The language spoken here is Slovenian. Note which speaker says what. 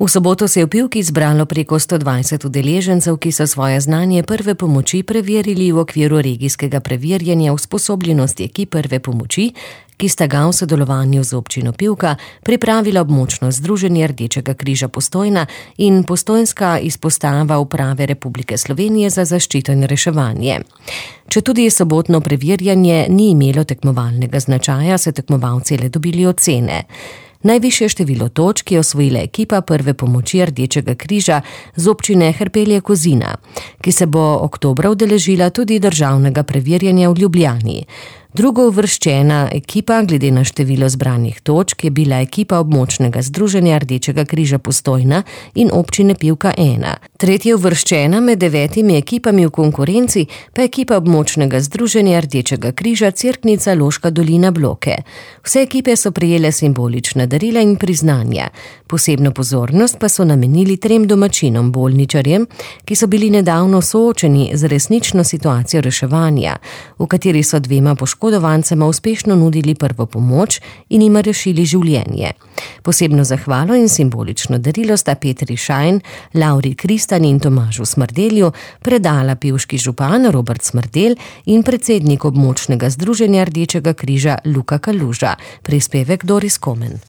Speaker 1: V soboto se je v Pivki zbralo preko 120 udeležencev, ki so svoje znanje prve pomoči preverili v okviru regijskega preverjanja usposobljenosti ekip prve pomoči, ki sta ga v sodelovanju z občino Pivka pripravila območno združenje Rdečega križa Postojna in postojnska izpostava Uprave Republike Slovenije za zaščito in reševanje. Četudi sobotno preverjanje ni imelo tekmovalnega značaja, so tekmovalci le dobili ocene. Najvišje število točk je osvojila ekipa prve pomoči Rdečega križa z občine Hrpelje-Kozina, ki se bo oktobra udeležila tudi državnega preverjanja v Ljubljani. Drugo uvrščena ekipa glede na število zbranih točk je bila ekipa območnega združenja Rdečega križa Postojna in občine Pivka 1. Tretja uvrščena med 9 ekipami v konkurenci pa ekipa območnega združenja Rdečega križa Cerknica Loška dolina Bloke. Vse ekipe so prejele simbolična darila in priznanja. Posebno pozornost pa so namenili 3 domačinom bolničarjem, ki so bili nedavno soočeni z resnično situacijo reševanja, v kateri so 2 poškodovancema uspešno nudili prvo pomoč in jima rešili življenje. Posebno zahvalo in simbolično darilo sta Petri Šajn, Lauri Kristan in Tomažu Smrdelju predala pivški župan Robert Smrdel in predsednik območnega združenja Rdečega križa Luka Kaluža. Prispevek Doris Komen.